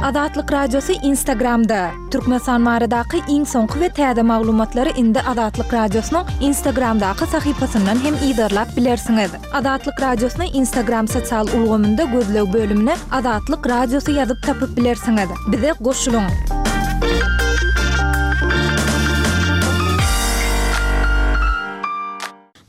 Azatlyk Radiosy Instagramda! Türkmenistan baradaky iň soňky we täze maglumatlary indi Azatlyk Radiosynyň Instagramdaky sahypasyndan hem yzarlap bilersiňiz. Azatlyk Radiosyny Instagram sosial ulgamynda gözleg bölümine Azatlyk Radiosy ýazyp tapyp bilersiňiz. Bize goşulyň!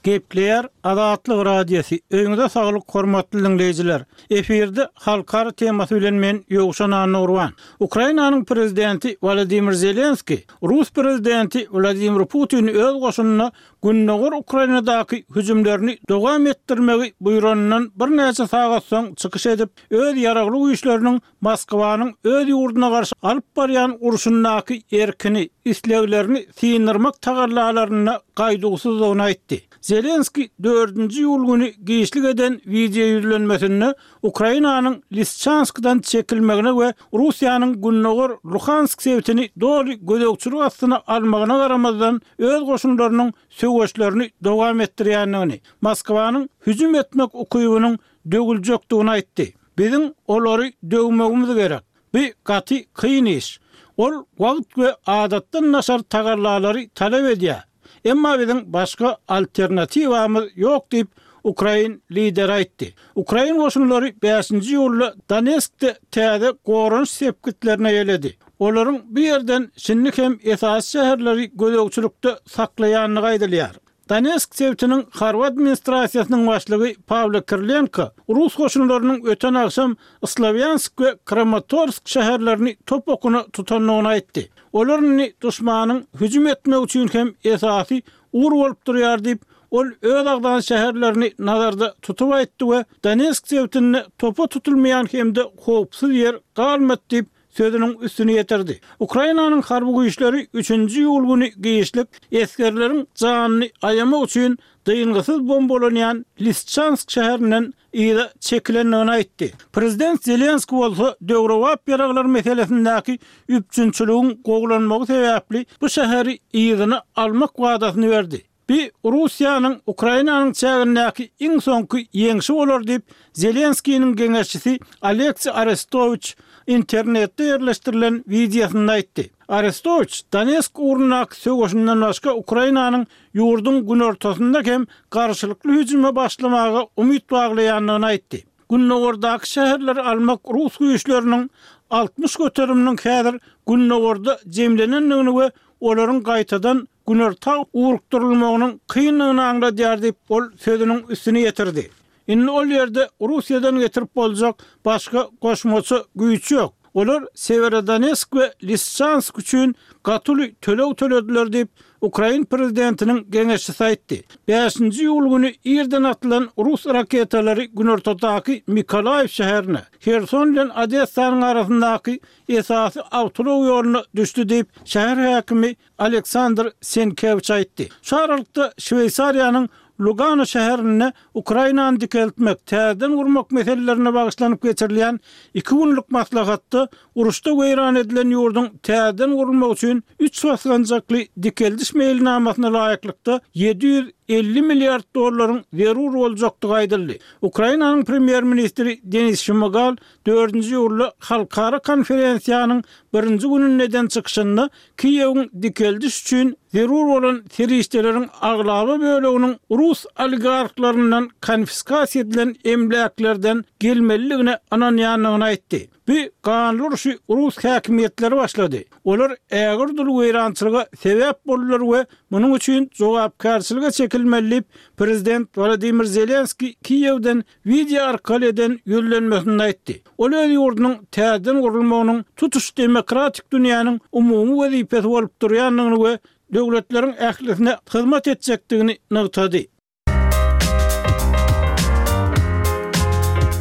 Gepleýär Azatlyk Radiosy, Öýüňize saglyk hormatly diňleýjiler! Efirde halkara temasy bilen men Ýowşan Annagurban. Ukrainanyň prezidenti Wolodymyr Zelenskiý rus prezidenti Wladimir Putini öz goşunyna gündogar Ukrainadaky hüjümlerini dowam etdirmegi buýranyndan birnäçe sagat soň çykyş edip, öz ýaragly güýçleriniň Moskwanyň öz ýurduna garşy alyp barýan urşundaky erkini, isleglerini syndyrmak tagallalarynda gaýduwsyzdygyny aýtdy. Zelenskiý dördünji iýul güni giçlik eden wideoýüzlenmesinde Ukrainanyň Lisçanskdan çekilmegine we Russiýanyň gündogar Luhansk sebitini doly gözegçilik astyna almagyna garamazdan, öz goşunlarynyň söweşlerini dowam etdirýändigini, Moskwanyň hüjüm etmek ukybynyň döwüljekdigini aýtdy. Biziň olary döwmegimiz gerek. Bu gaty kyn iş. Ol wagt we adatdan daşary tagallalary talap edýär. Emma biziň başga alternatiwamyz ýok diýip, ukrain lideri aýtdy. Ukrain goşunlary bäşinji iýulda Donetskde täze goranyş sepgitlerini eýeledi. Olaryň bu ýerden şindi hem esasy şäherleri gözegçilikde saklaýandygy aýdylýar. Donetsk sebitiniň harby administrasiýasynyň başlygy Pawlo Kirilenko rus goşunlarynyň öten agşam Slowýansk we Kramatorsk şäherlerini top okuna tutandygyny aýtdy. Olar indi duşmanyň hüjüm etmegi üçin hem esasy ugur bolup durýar diýip, ol öz agzan şäherlerini nazarda tutup aýtdy we Donetsk sebitinde topa tutulmaýan hem-de howpsuz ýer galmady diýip, sözüniň üstüni ýetirdi. Ukrainanyň harby güýçleri üçünji iýul güni giçlik esgerleriň janyny aýamak üçin dyngysyz bombalanýan Lisçansk şäherinden yza çekilendigini aýtdy. Prezident Zelenskiý bolsa döwrebap ýaraglar meselesindäki üpjünçiligiň gowulanmagy sebäpli bu şäheri yzyna almak wadasyny berdi. Bu Russiýanyň Ukrainanyň çägindäki iň soňky ýeňşi bolar diýip, Zelenskiniň geňeşçisi Oleksiý Arestowiç internetde ýerleşdirilen wideosynda aýtdy. Arestowiç Donetsk ugrundaky söweşinden başga Ukrainanyň ýurduň günortasynda hem garşylykly hüjüme başlamaga umyt baglaýandygyny aýtdy. Gündogardaky şäherleri almak rus güýçleriniň 60 göteriminiň häzir gündogarda jemlenendigini we olaryň gaýtadan günorta ugrukdyrylmagynyň kyndygyny aňladýar diýip, ol sözüniň üstüni ýetirdi. Indi ol ýerde Russiýadan getirip boljak başga goşmaça güýç ýok. Olar Sewerodonetsk we Lisçansk üçin gaty uly töleg tölediler diýip, ukrain prezidentiniň geňeşçisi aýtdy. Bäşinji iýul güni irden atylan rus raketalary günortadaky Mikolaýew şäherine, Herson bilen Odessanyň arasyndaky esasy awtoulag ýoluna düşdi diýip, şäher häkimi Aleksandr Senkewiç aýtdy. Şu aralykda, Şweýsariýanyň Lugano şäherinde Ukrainany dikeltmek, täzeden gurmak meselelerine bagyşlanyp geçirilýän iki günlük maslahatda uruşda weýran edilen ýurduň täzeden gurulmagy üçin üç basgançakly dikeldiş meýilnamasyna laýyklykda 750 milliard dollaryň zerur boljakdygy aýdyldy. Ukrainanyň premýer-ministri Denis Şmygal dördünji iýulda halkara konferensiýanyň birinji gününde eden çykyşynda Kiýewiň dikeldiş üçin zerur bolan serişdeleriň aglaba böleginiň rus oligarhlaryndan konfiskasiýa edilen emläklerden gelmelidigine ynanýandygyny aýtdy. Bu ganly urşy rus häkimiýetleri başlady. Olar ägirt uly weýrançylyga sebäp boldular we munuň üçin jogapkärçilige çekilmeli diýip, prezident Wolodymyr Zelenskiý Kiýewden wideo arkaly eden ýüzlenmesinde aýtdy. Ol öz ýurdunyň täzeden gurulmagynyň tutuş demokratik dünýäniň umumy wezipesi bolup durýandygyny we döwletleriň ählisine hyzmat etjekdigini nygtady.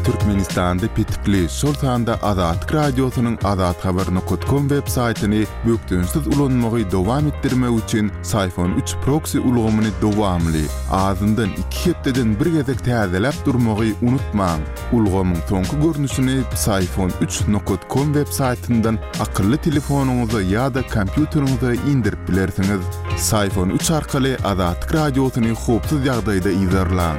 Türkmenistanda petikli, şol sanda Azatlyk Radiosynyň azathabar nokat kom web saýtyny bökdençsiz ulanmagy dowam etdirmek üçin Syphon üç proksi ulgamyny dowamly, azyndan iki hepdeden bir gezek täzeläp durmagy unutmaň. Ulgamyň soňky görnüşini Psiphon üç nokat kom web saýtyndan akylly telefonyňyza ýa-da kompýuteriňize indirip bilersiňiz. Psiphon üç arkaly Azatlyk Radiosyny howpsuz ýagdaýda yzarlaň.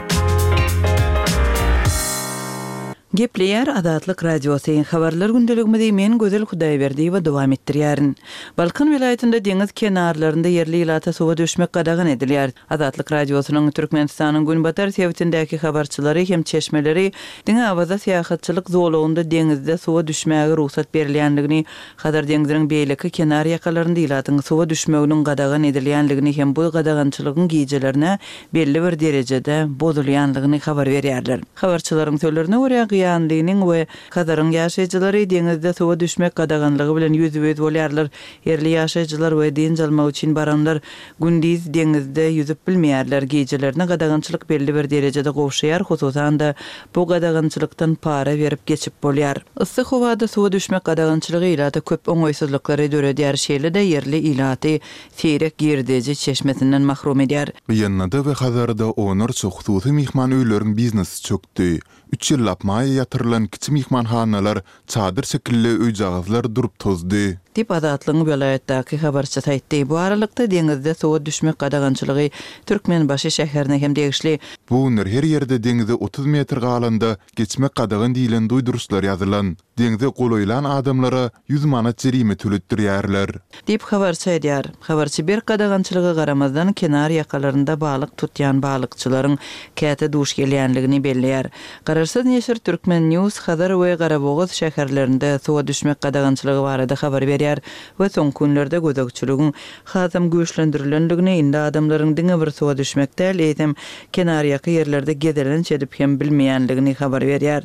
Gepleýär Azatlyk Radiosy, Habarlar gündeligimizi men Gözel Hudaýberdiýewa dowam etdirýärin. Balkan welaýatynda deňiz kenarlarynda ýerli ilata suwa düşmek gadagan edilýär. Azatlyk Radiosynyň Türkmenistanyň günbatar sebitindäki habarçylary hem çeşmeleri diňe Awaza syýahatçylyk zolagynda deňizde suwa düşmäge rugsat berilýändigini, Hazar deňziniň beýleki kenar ýakalarynda ilatyň suwa düşmeginiň gadagan edilýändigini hem bu gadagançylygyň gijelerine belli bir derejede bozulýandygyny habar berýärler. Habarçylaryň sözlerine görä, Gyýanlynyň we Hazaryň ýaşaýjylary deňizde suwa düşmek gadaganlygy bilen ýüzbe-ýüz bolýarlar. Ýerli ýaşaýjylar we dynç almak üçin baranlar gündiz deňizde ýüzüp bilmeýärler. Gijelerine gadagançylyk belli bir derejede gowşaýar, hususan-da, bu gadagançylykdan para berip geçip bolýar. Yssy howada suwa düşmek gadagançylygy ilata köp oňaýsyzlyklary döredýär, şeýle-de ýerli ilaty seýrek girdeji çeşmesinden mahrum edýär. Gyýanlyda we Hazarda onlarça hususy myhman öýleriň biznesi çökdi. Üç ýyllap maýa ýatyrylan kiçi myhmanhanalar, çadyr şekilli öýjagazlar durup tozdy. Diýip, Azatlygyň welaýatdaky habarçysy aýtdy. Bu aralykda, deňizde suwa düşmek gadagançylygy Türkmenbaşy şäherine hem degişli. Bu günler her ýerde deňize 30 metr galanda geçmek gadagan diýlen duýduryşlar ýazylan. Deňze golaýlan adamlara 100 manat jerime töletdirýärler. Diýip, habarçy aýdýar. Habarçy berk gadagançylyga garamazdan, kenar ýakalarynda balyk tutýan balykçylaryň käte duş gelýänligini belleýär. Garaşsyz neşir Turkmen. News Hazar we Garabogaz şäherlerinde suwa düşmek gadagançylygy barada habar berýär we soňky günlerde gözegçiligiň hasam güýçlendirilendigini, indi adamlaryň diňe bir suwa düşmek däl, eýsem, kenarýaka ýerlerde gezelenç edip hem bilmeýänligini habar berýär.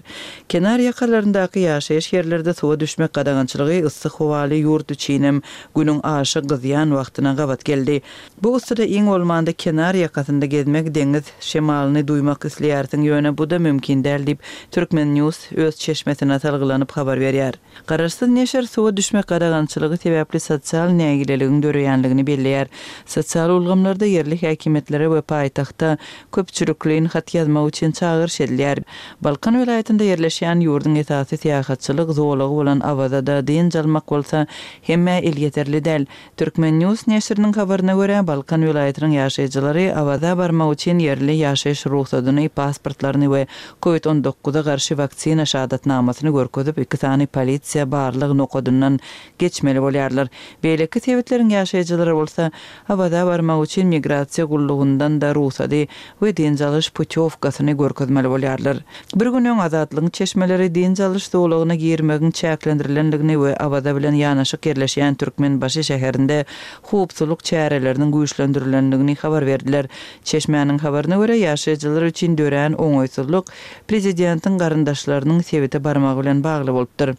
Kenar ýakalaryndaky ýaşaýyş ýerlerde suwa düşmek gadagançylygy yssy howaly ýurt üçinem günüň aşa gyzýan wagtyna gabat geldi. Bu yssyda iň bolmanda kenar ýakasynda gezmek, deňiz şemalyny duýmak isleýärsiň, ýöne bu-da mümkin däl diýip, Turkmen. News öz çeşmesine salgylanyp habar berýär. Garaşsyz neşir suwa düşmek gadagançylygy sebäpli sosial nägileligiň döreýänligini belleýär. Sosial ulgamlarda ýerli häkimiýetlere we paýtagta köpçülikleýin hat ýazmak üçin çagyryş edilýär. Balkan welaýatynda ýerleşýän ýurduň esasy syýahatçylyk zolagy bolan Awazada dynç almak bolsa hemmä elýeterli däl. Turkmen. News neşiriniň habaryna görä, Balkan welaýatynyň ýaşaýjylary Awaza barmak üçin ýerli ýaşaýyş rugsadyny, pasportlaryny we Covid on dokuza garşy waksina şahadatnamasyny görkezip, iki sany polisiýa barlag nokadyndan geçmeli bolýarlar. Beýleki sebitleriň ýaşaýjylary bolsa, Awaza barmak üçin migrasiýa gullugyndan-da rugsady we dynç alyş putýowkasyny görkezmeli bolýarlar. Bir gün öň Azatlygyň çeşmeleri dynç alyş zolagyna girmegiň çäklendirilendigini we Awaza bilen ýanaşyk ýerleşýän Türkmenbaşy şäherinde howpsuzlyk çäreleriniň güýçlendirilendigini habar berdiler. Çeşmäniň habaryna görä, ýaşaýjylar üçin dörän oňaýsyzlyk prezidentiň garyndaşlarynyň sebite barmagy bilen bagly bolupdyr.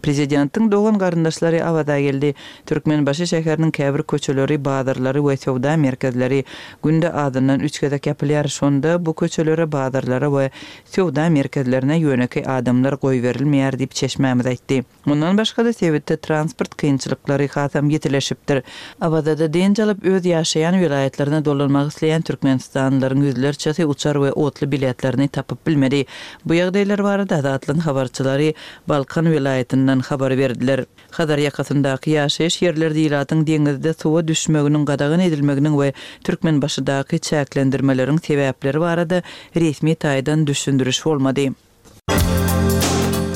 Prezidentiň dogan-garyndaşlary Awaza geldi. Türkmenbaşy şäheriniň käbir köçeleri, bazarlary we söwda merkezleri günde azyndan üç gezek ýapylýar. Şonda bu köçelere, bazarlara we söwda merkezlerine ýönekeý adamlar goýberilmeýär diýip, çeşmämiz aýtdy. Mundan başga-da, sebitde transport kynçylyklary hasam ýitileşipdir. Awazada dynç alyp, öz ýaşaýan welaýatlaryna dolanmak isleýän türkmenistanlylaryň ýüzlerçesi uçar we otly biletlerini tapyp bilmedi. Bu ýagdaýlar barada Azatlygyň habarçylary Balkan welaýatyndan habar berdiler. Hazar ýakasyndaky ýaşaýyş ýerlerde ilatyň deňizde suwa düşmeginiň gadagan edilmeginiň we Türkmenbaşydaky çäklendirmeleriň sebäpleri barada resmi taýdan düşündiriş bolmady.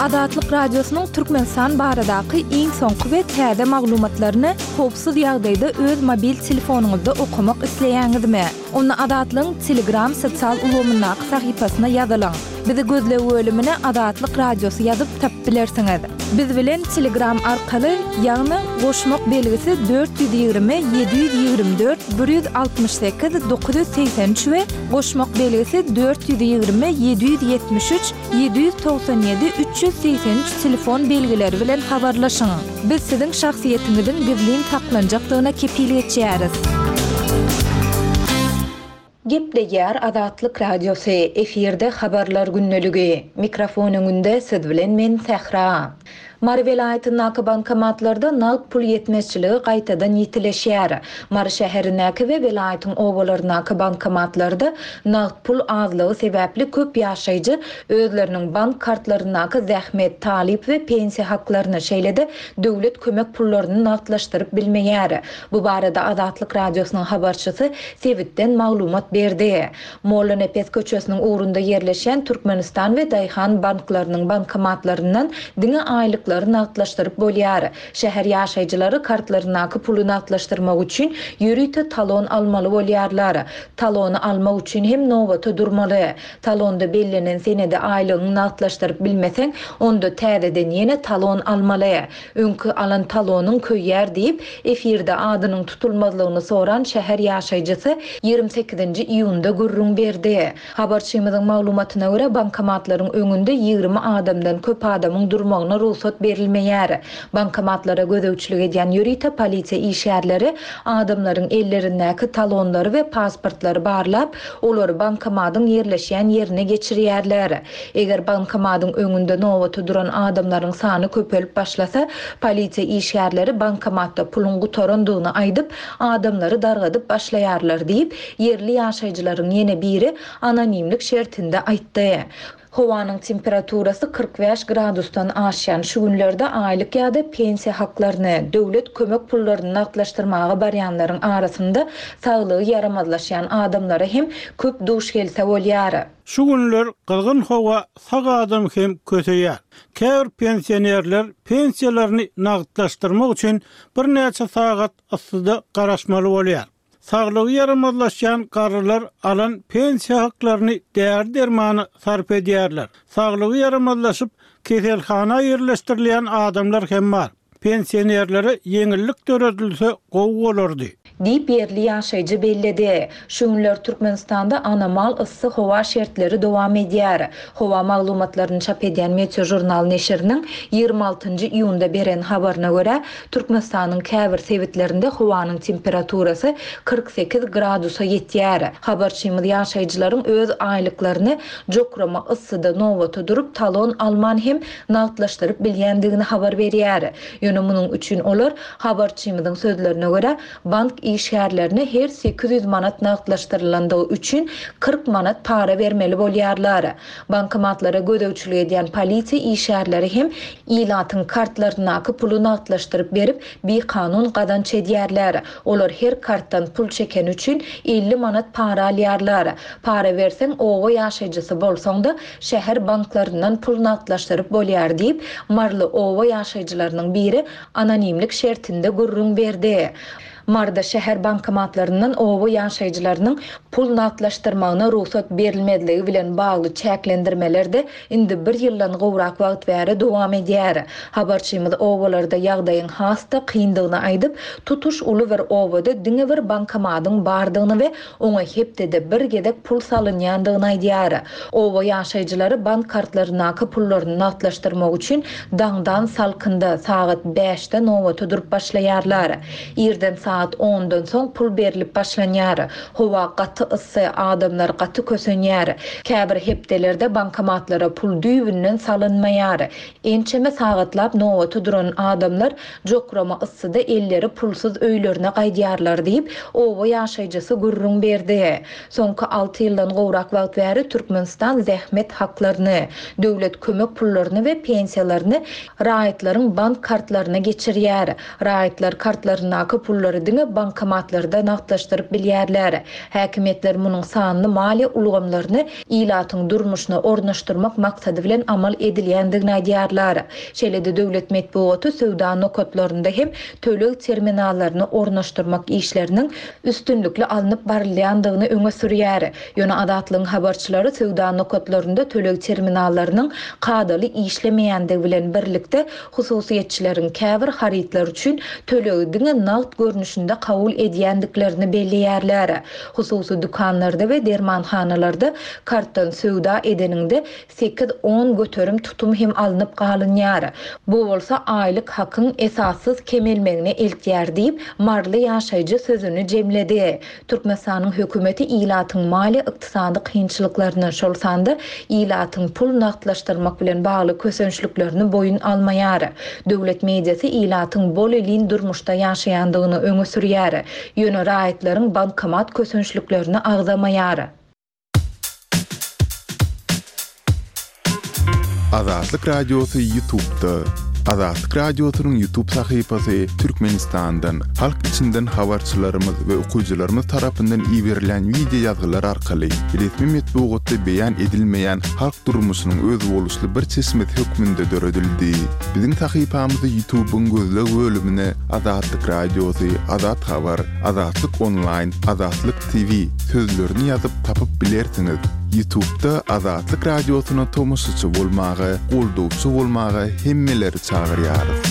Azatlyk Radiosynyň Türkmenistan baradaky iň soňky we täze maglumatlaryny howpsuz ýagdaýda öz mobil telefonyňyzda okamak isleýäňizmi? Onda Azatlygyň Telegram sosial ulgamyndaky sahypasyna ýazylyň. Bizi gözleg bölümine Azatlyk Radiosy ýazyp tapyp bilersiňiz. Biz bilen Telegram arkaly, ýagny goşmak belgisi 420 724 168 983 we goşmak belgisi 420 773 797 383 telefon belgileri bilen habarlaşyň. Biz siziň şahsyýetiňiziň gizlin saklanjakdygyna kepil geçýäris. Gepleýär Azatlyk Radiosy, efirde Habarlar gündeligi. Mikrofon öňünde siz bilen men Sähra. Mary welaýatyndaky bankomatlarda nagt pul ýetmezçiligi gaýtadan ýitileşýär. Mary şäherindäki we welaýatyň obalaryndaky bankomatlarda nagt pul azlygy sebäpli köp ýaşaýjy özleriniň bank kartlaryndaky zähmet, talyp we pensiýa haklaryny, şeýle-de döwlet kömek pullaryny nagtlaşdyryp bilmeýär. Bu barada Azatlyk Radiosynyň habarçysy sebitden maglumat berdi. Mollanepes köçesiniň ugrunda ýerleşýän Türkmenistan we Daýhan banklarynyň bankomatlaryndan diňe aýlyklary nagtlaşdyryp bolýar. Şäher ýaşaýjylary kartlaryndaky puly nagtlaşdyrmak üçin ýörite talon almaly bolýarlar. Talony almak üçin hem nobata durmaly. Talonda bellenen senede aýlygyňy nagtlaşdyryp bilmeseň, onda täzeden ýene talon almaly. Öňki alan talonyň köýýär diýip, efirde adynyň tutulmazlygyny soran şäher ýaşaýjysy 28-nji iýunda gürrüň berdi. Habarçymyzyň maglumatyna görä, bankomatlaryň öňünde 20 adamdan köp adamyň durmagyna rugsat berilmeýär. Bankomatlara gözegçilik edýän ýörite polisiýa işgärleri adamlaryň ellerindäki talonlary we pasportlary barlap, olary bankomatyň ýerleşýän ýerine geçirýärler. Eger bankomatyň öňünde nobata duran adamlaryň sany köpelip başlasa, polisiýa işgärleri bankomatda puluň gutarandygyny aýdyp, adamlary dargadyp başlaýarlar diýip, ýerli ýaşaýjylaryň ýene biri anonimlik şertinde aýtdy. Howanyň temperaturasy 45 gradusdan aşýan şu günlerde aýlyk ýa-da pensiýa haklaryny, döwlet kömek pullaryny nagtlaşdyrmaga barýanlaryň arasynda saglygy ýaramazlaşýan adamlara hem köp duş gelse bolýar. Şu günler gyzgyn howa sag adamy hem köseýär. Käbir pensionerler pensiýalaryny nagtlaşdyrmak üçin birnäçe sagat yssyda garaşmaly bolýar. Saglygy ýaramazlaşýan garrylar alan pensiýa haklaryny däri-dermana sarp edýärler. Saglygy ýaramazlaşyp, keselhana ýerleşdirilýän adamlar hem bar. Pensionerlere ýeňillik döredilse gowy bolardy. Diýip, ýerli ýaşaýjy belledi. Şu günler Türkmenistanda anomal yssy howa şertleri dowam edýär. Howa maglumatlaryny çap edýän Meteožurnal neşiriniň 26 nji iýunda beren habaryna görä, Türkmenistanyň käbir sebitlerinde howanyň temperaturasy 48 gradusa ýetýär. Habarçymyz ýaşaýjylaryň öz aýlyklaryny jokrama yssyda nobata durup talon alman hem nagtlaşdyryp bilýändigini habar berýär. Ýöne munuň üçin olar, habarçymyzyň sözlerine görä, bank işgärlerine her 800 manat nagtlaşdyrylandygy üçin 40 manat para bermeli bolýarlar. Bankomatlara gözegçilik edýän polisiýa işgärleri hem ilatyň kartlaryndaky puly nagtlaşdyryp berip, bikanun gazanç edýärler. Olar her kartdan pul çekeni üçin 50 manat para alýarlar. Para berseň, oba ýaşaýjysy bolsaň-da, şäher banklaryndan pul nagtlaşdyryp bolýar diýip, maryly oba ýaşaýjylarynyň biri anonimlik şertinde gürrüň berdi. Maryda şäher bankomatlaryndan oba ýaşaýjylarynyň pul nagtlaşdyrmagyna rugsat berilmezligi bilen bagly çäklendirmeler-de indi bir ýyldan gowrak wagt bäri dowam edýär. Habarçymyz obalarda ýagdaýyň has-da kyndygyny aýdyp, tutuş uly bir obada diňe bir bankomadyň bardygyny we oňa hepdede bir gezek pul salynýandygyny aýdýar. Oba ýaşaýjylary bank kartlaryndaky pullaryny nagtlaşdyrmak üçin daňdan salkynda, sagat bäşde nobata durup başlaýarlar. Irden sagat ondan soň pul berlip başlanýar. Howa gaty yssy, adamlar gaty kösenýär. Käbir hepdelerde bankomatlara pul düýbünden salynmaýar. Ençeme sagatlap nobata duran adamlar jokrama yssyda elleri pulsuz öýlerine gaýdýarlar diýip, oba ýaşaýjysy gürrüň berdi. Soňky alty ýyldan gowrak wagt bäri Türkmenistan zähmet haklaryny, döwlet kömek pullaryny we pensiýalaryny raýatlaryň bank kartlaryna geçirýär. Raýatlar kartlaryndaky pullary diňe bankomatlarda nagtlaşdyryp bilýärler. Häkimiýetler munuň sanly maliýe ulgamlaryny ilatyň durmuşyna ornaşdyrmak maksady bilen amal edilýändigini aýdýarlar. Şeýle-de döwlet metbugaty söwda nokatlarynda hem töleg terminallaryny ornaşdyrmak işleriniň üstünlikli alnyp barylýandygyny öňe sürýär. Ýöne Azatlygyň habarçylary söwda nokatlarynda töleg terminallarynyň kadaly işlemeýändigi bilen birlikde, hususyýetçileriň käbir harytlar üçin tölegi diňe nagt görnüşde. görnüşinde kabul edýändiklerini belleýärler. Hususy dükanlarda we dermanhanalarda kartdan söwda edeniňde sekiz-on göterim tutum hem alnyp galynýar. Bu bolsa aýlyk hakyň esassyz kemelmegine eltýär diýip, maryly ýaşaýjy sözüni jemledi. Türkmenistanyň hökümeti ilatyň maliýe-ykdysady kynçylyklaryny, şol sanda ilatyň pul nagtlaşdyrmak bilen bagly kösençliklerini boýun almaýar. Döwlet mediasy ilatyň bol-elin durmuşda ýaşaýandygyny öňe sürýär. Ýöne raýatlaryň bankomat kösençliklerini agzamaýar. Azatlyk Radiosy Ýutubda. Azatlyk Radiosynyň Ýutub sahypasy Türkmenistandan, halk içinden habarçylarymyz we okyjylarymyz tarapyndan iberilen wideo ýazgylar arkaly resmi metbugatda beýan edilmeýän halk durmuşynyň özboluşly bir çeşmesi hökmünde döredildi. Biziň sahypamyzy Ýutubyň gözleg bölümine Azatlyk Radiosy, Azat Habar, Azatlyk Onlaýn, Azatlyk TV sözlerini ýazyp tapyp bilersiňiz. Ýutubda Azatlyk Radiosyna tomaşaçy bolmaga, goldawçy bolmaga hemmeleri çagyrýarys.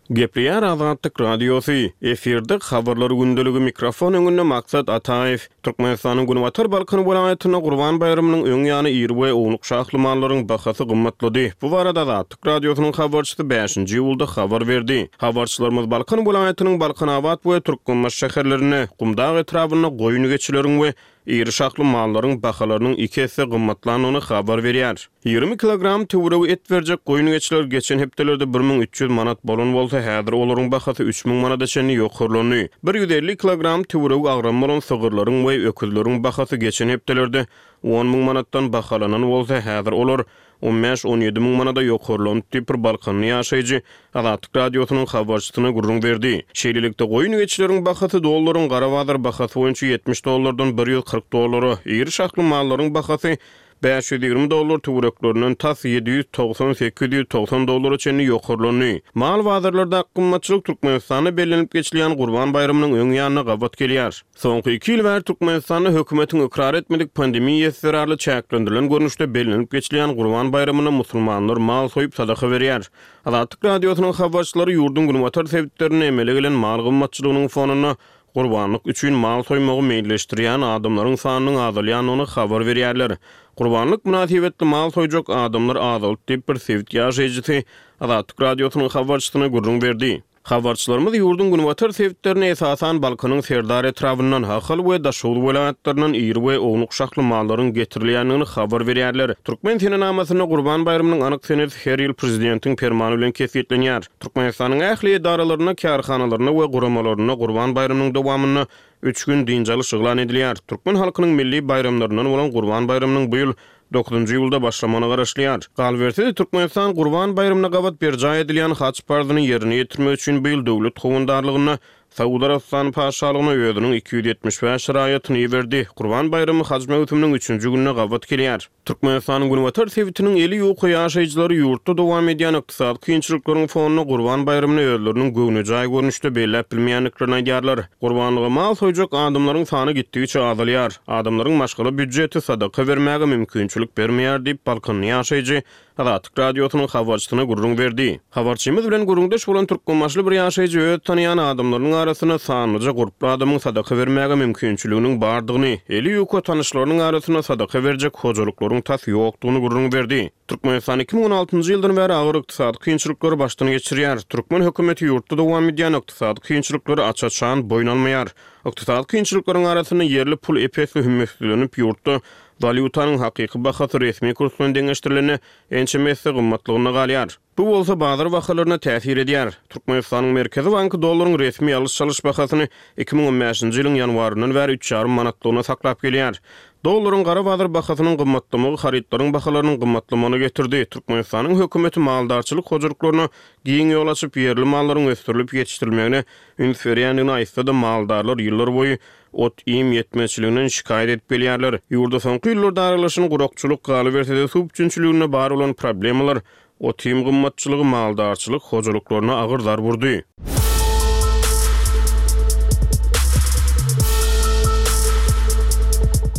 Gepleýär Azatlyk Radiosy, efirde Habarlar gündeligi mikrofon öňünde Maksat Ataýew. Türkmenistanyň Günbatar Balkan welaýatynda Gurban baýramynyň öň ýany iri we ownuk şahly mallaryň bahasy gymmatlady. Bu barada Azatlyk Radiosynyň habarçysy bäşinji iýulda habar berdi. Habarçylarymyz Balkan welaýatynyň Balkanabat we Türkmenbaşy şäherlerinde, Gumdag etrabynda goýun-geçileriň we iri şahly mallaryň bahalarynyň iki esse gymmatlandygyny habar berýär. 20 kilogram töweregi et berjek goýun-geçiler geçen hepdelerde 1300 manat bolan bolsa, häzir olaryň bahasy 3000 manada çenli ýokarlandy. 150 kilogram töweregi agramy bolan sygyrlaryň we öküzleriň bahasy geçen hepdelerde on müň manatdan bahalanan bolsa, häzir olar on bäş-on ýedi müň manada ýokarlandy diýip, bir balkanly ýaşaýjy Azatlyk Radiosynyň habarçysyna gürrüň berdi. Şeýlelikde, goýun-geçileriň bahasy dollaryň gara bazar bahasy boýunça 70 dollardan 140 dollara, iri şahly mallaryň bahasy 520 dollar töwereklerinden tas 790-890 dollara çenli ýokarlandy. Mal bazarlardaky gymmatçylyk Türkmenistanda bellenilip geçilýän Gurban baýramynyň öň ýanyna gabat gelýär. Soňky iki ýyl bäri Türkmenistanda hökümetiň ykrar etmedik pandemiýasy zerarly çäklendirilen görnüşde bellenilip geçilýän Gurban baýramynda musulmanlar mal soýup sadaka berýär. Azatlyk Radiosynyň habarçylary ýurduň günbatar sebitlerinde emele gelen mal gymmatçylygynyň fonunda gurbanlyk üçin mal soýmagy meýilleşdirýän adamlaryň sanynyň azalýandygyny habar berýärler. Gurbanlyk mynasybetli mal soýjak adamlar azaldy diýip, bir sebit ýaşaýjysy Azatlyk Radiosynyň habarçysyna gürrüň berdi. Habarçylarymyz ýurduň günbatar sebitlerinde, esasan, Balkanyň Serdar etrabyndan, Ahal we Daşoguz welaýatlaryndan iri we ownuk şahly mallaryň getirilýändigini habar berýärler. Türkmen senenamasynda Gurban baýramynyň anyk senesi her ýyl prezidentiň permany bilen kesgitlenýär. Türkmenistanyň ähli edaralarynda, kärhanalarynda we guramalarynda Gurban baýramynyň dowamynda üç gün dynç alyş yglan edilýär. Türkmen halkynyň milli baýramlaryndan bolan Gurban baýramynyň bu ýyl Dokuzynjy iýulda başlamagyna garaşylýar. Galyberse-de, Türkmenistan Gurban baýramyna gabat berjaý edilýän haj parzyny ýerine ýetirmek üçin bu ýyl döwlet howandarlygynda Saud Arabystany Patyşalygyna özüniň 275 raýatyny iberdi. Gurban baýramy haj möwsüminiň üçünji gününe gabat gelýär. Türkmenistanyň günbatar sebitiniň eli ýuka ýaşaýjylary ýurtda dowam edýän ykdysady kynçylyklaryň fonunda Gurban baýramyny özleriniň göwnejaý görnüşde belläp bilmeýändiklerini aýdýarlar. Gurbanlyga mal soýjak adamlaryň sany gitdigiçe azalýar. Adamlaryň maşgala býujeti sadaka bermäge mümkinçilik bermeýär diýip, balkanly ýaşaýjy Azatlyk Radiosynyň habarçysyna gürrüň berdi. Habarçymyz bilen gürrüňdeş bolan türkmenbaşyly bir ýaşaýjy öz tanaýan adamlarynyň arasynda sanlyja gurply adamyň sadaka bermäge mümkinçiliginiň bardygyny, eli ýuka tanyşlarynyň arasynda sadaka berjek hojalyklaryň tas ýokdugyny gürrüň berdi. Türkmenistan 2016-njy ýyldan bäri agyr ykdysady kynçylyklary başdan geçirýär. Türkmen hökümeti ýurtda dowam edýän ykdysady kynçylyklary aç-açan boýun almaýar. Ykdysady kynçylyklaryň arasynda ýerli pul ep-esli hümmetsizlenip, ýurtda walýutanyň hakyky bahasy resmi kurs bilen deňeşdirilende ençeme esse gymmatlygynda galýar. Bu bolsa bazar bahalaryna täsir edýär. Türkmenistanyň Merkezi banky dollaryň resmi alyş-çalyş bahasyny 2015-nji ýylyň ýanwaryndan bäri üç ýarym manatlygyna saklap gelýär. Dollaryň gara bazar bahasynyň gymmatlamagy harytlaryň bahalarynyň gymmatlamagyna getirdi. Türkmenistanyň hökümeti maldarçylyk hojalyklaryna giň ýol açyp, ýerli mallaryň ösdürilip ýetişdirilmegine üns berýändigini aýtsa-da, maldarlar ýyllarboýy ot-iým ýetmezçiliginden şikaýat edip gelýärler. Ýurda soňky ýyllarda aralaşan gurakçylyk, galyberse-de suw üpjünçiliginde bar bolan problemalar Ot-iým gymmatçylygy maldarçylyk hojalyklaryna agyr zarb urdy.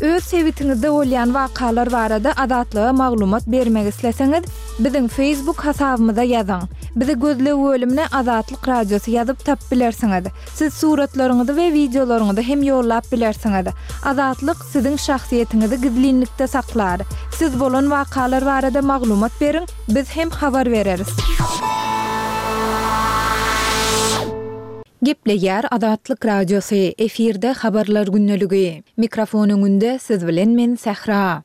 Öz sebitiňizde bolýan wakalar barada Azatlyga maglumat bermek isleseňiz, biziň Facebook hasabymyza ýazyň. Bizi gözleg bölümine Azatlyk Radiosy ýazyp tapyp bilersiňiz. Siz suratlaryňyzy we wideolaryňyzy hem ýollap bilersiňiz. Azatlyk siziň şahsyýetiňizi gizlinlikde saklar. Siz bolan wakalar barada maglumat beriň, biz hem habar bereris. Gepleýär Azatlyk Radiosy, efirde Habarlar gündeligi. Mikrofon öňünde siz bilen men Sähra.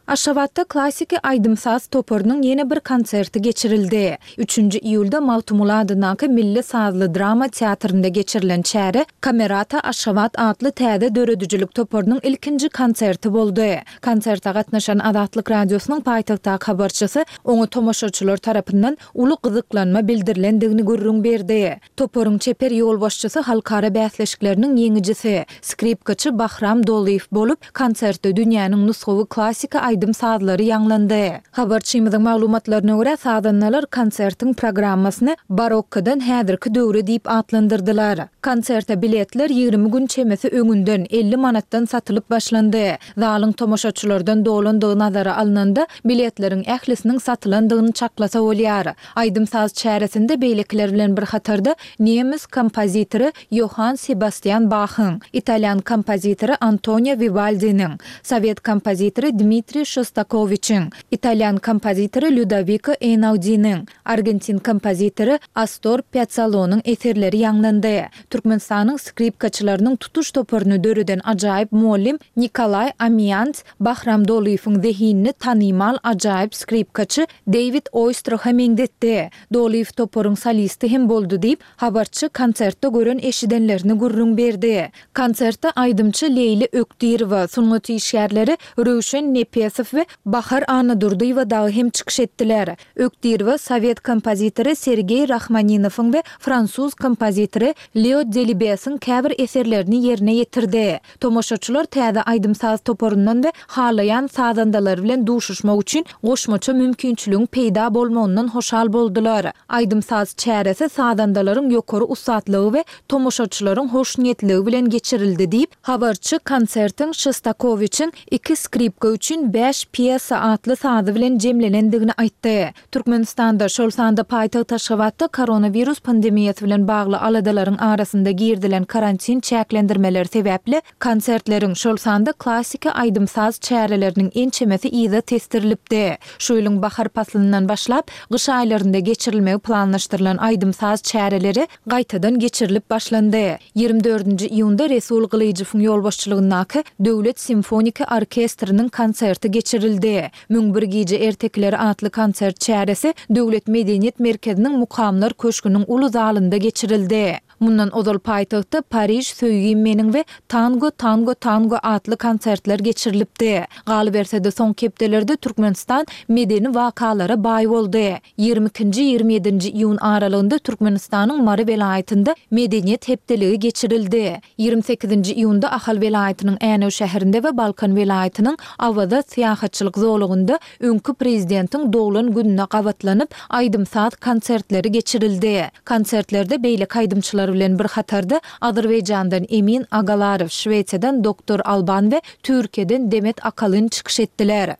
Aşgabatda klassiki aýdym-saz toparynyň ýene bir konserti geçirildi. Üçünji iýulda Magtymguly adyndaky Milli sazly drama teatrynda geçirilen çäre Kamerata Aşgabat atly täze döredijilik toparynyň ilkinji konserti boldy. Konserte gatnaşan Azatlyk Radiosynyň paýtagtdaky habarçysy oňa tomaşaçylar tarapyndan uly gyzyklanma bildirilendigini gürrüň berdi. Toparyň çeper ýolbaşçysy halkara bäsleşikleriniň ýeňijisi, skripkaçy Bahram Dolyýew bolup, konsertde dünýäniň nusgawy klassiki aýdym-sazlary ýaňlandy. Habarçymyzyň maglumatlaryna görä, sazandalar konsertiň programmasyny Barokkodan häzirki döwre diýip atlandyrdylar. Konserte biletler 20 gün çemesi öňünden, 50 manatdan satylyp başlandy. Zalyň tomaşaçylardan dolandygy nazara alnanda, biletleriň ählisiniň satylandygyny çaklasa bolýar. Aýdym-saz çäresinde beýlekiler bilen bir hatarda nemes kompozitory Ýohann Sebastian Bahyň, italýan kompozitory Antonio Wiwaldiniň, sowet kompozitory Dmitriý Şostakowiçiň, italýan kompozitory Lýudowiko Eýnaudiniň, argentin kompozitory Astor Pýazzalonyň eserleri ýaňlandy. Türkmenistanyň skripkaçylarynyň tutuş toparyny döreden ajaýyp mugallym Nikolaý Amiýants Bahram Dolyýewiň zehinini tanymal ajaýyp skripkaçy Deýwid Oýstraha meňzetdi. Dolyýew toparyň solisti hem boldy diýip, habarçy konsertde gören-eşidenlerini gürrüň berdi. Konsertde aýdymçy Leýli Ökdirowa, sungat işgärleri Röwşen Nepesow we Bahar Annadurdyýewa dagy hem çykyş etdiler. Ökdirowa sowet kompozitory Sergeý Rahmaninowyň we fransuz kompozitory Leo Delibesiň käbir eserlerini ýerine ýetirdi. Tomaşaçylar täze aýdym-saz toparyndan we halaýan sazandalary bilen duşuşmak üçin goşmaça mümkinçiligiň peýda bolmagyndan hoşal boldular. Aýdym-saz çäresi sazandalaryň ýokary ussatlygy we tomaşaçylaryň hoşniýetligi bilen geçirildi diýip, habarçy konsertiň Şostakowiçiň Iki skripka üçin bäş pýesa atly sazy bilen jemlenendigini aýtdy. Türkmenistanda, şol sanda paýtagt Aşgabatda koronawirus pandemiýasy bilen bagly aladalaryň arasynda girizilen karantin çäklendirmeleri sebäpli konsertleriň, şol sanda klassiki aýdym-saz çäreleriniň ençemesi yza tesdirilipdi. Şu ýylyň bahar paslyndan başlap, gyş aýlarynda geçirilmegi planlaşdyrylan aýdym-saz çäreleri gaýtadan geçirilip başlandy. Ýigrimi dördünji iýunda Resul Gylyjowyň ýolbaşçylygyndaky Döwlet simfoniki orkestriniň konserti geçirildi. 1001 gije ertekileri atly konsert çäresi Döwlet medeniýet merkeziniň Mukamlar köşgüniň uly zalynda geçirildi. Mundan ozal paýtagtda Pariž, söýgim meniň we Tango, tango, tango atly konsertler geçirilipdi. Galyberse-de, soňky hepdelerde Türkmenistan medeni wakalara baý boldy. Ýigrimi ikinji, ýigrimi ýedinji iýun aralygynda Türkmenistanyň Mary welaýatynda Medeniýet hepdeligi geçirildi. Ýigrimi sekizinji iýunda Ahal welaýatynyň Änew şäherinde we Balkan welaýatynyň Awaza syýahatçylyk zolagynda öňki prezidentiň doglan gününe gabatlanyp, aýdym-saz konsertleri geçirildi. Konsertlerde beýleki aýdymçylar bilen bir hatarda Azerbaýjandan Emin Agalarow, Şwesiýadan Doktor Alban we Türkiýeden Demet Akalyn çykyş etdiler.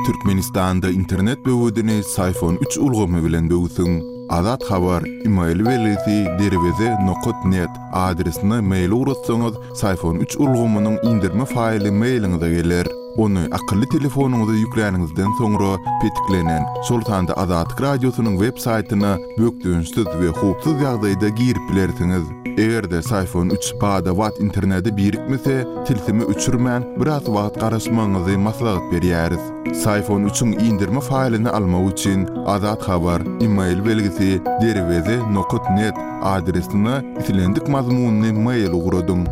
Türkmenistanda internet böwedini Syfon üç ulgamy bilen böwsüň. Azat Habar, email belgisi derweze nokat net adresine mail ugratsaňyz Syfon üç ulgamynyň indirme faýly mailiňize geler. Ony akylly telefonyňyza ýükläniňizden soňra petiklenen, şol sanda Azatlyk Radiosynyň web saýtyna bökdençsiz we howpsuz ýagdaýda girip bilersiňiz. Eger-de Syfon üç bada-bat internete birikmese, tilsimi öçürmän, biraz wagt garaşmagyňyzy maslahat berýäris. Syfon üçiň indirme faýlyny almak üçin Azat Habar, email belgisi, derweze nokat net adresine islendik mazmunly mail ugradyň.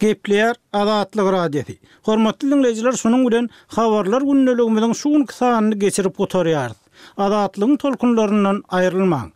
Gepleýär Azatlyk Radiosy. Hormatly diňleýjiler şunuň bilen Habarlar gündeligimiziň şu günki sanyny geçirip gutarýarys. Azatlygyň tolkunlaryndan aýrylmaň!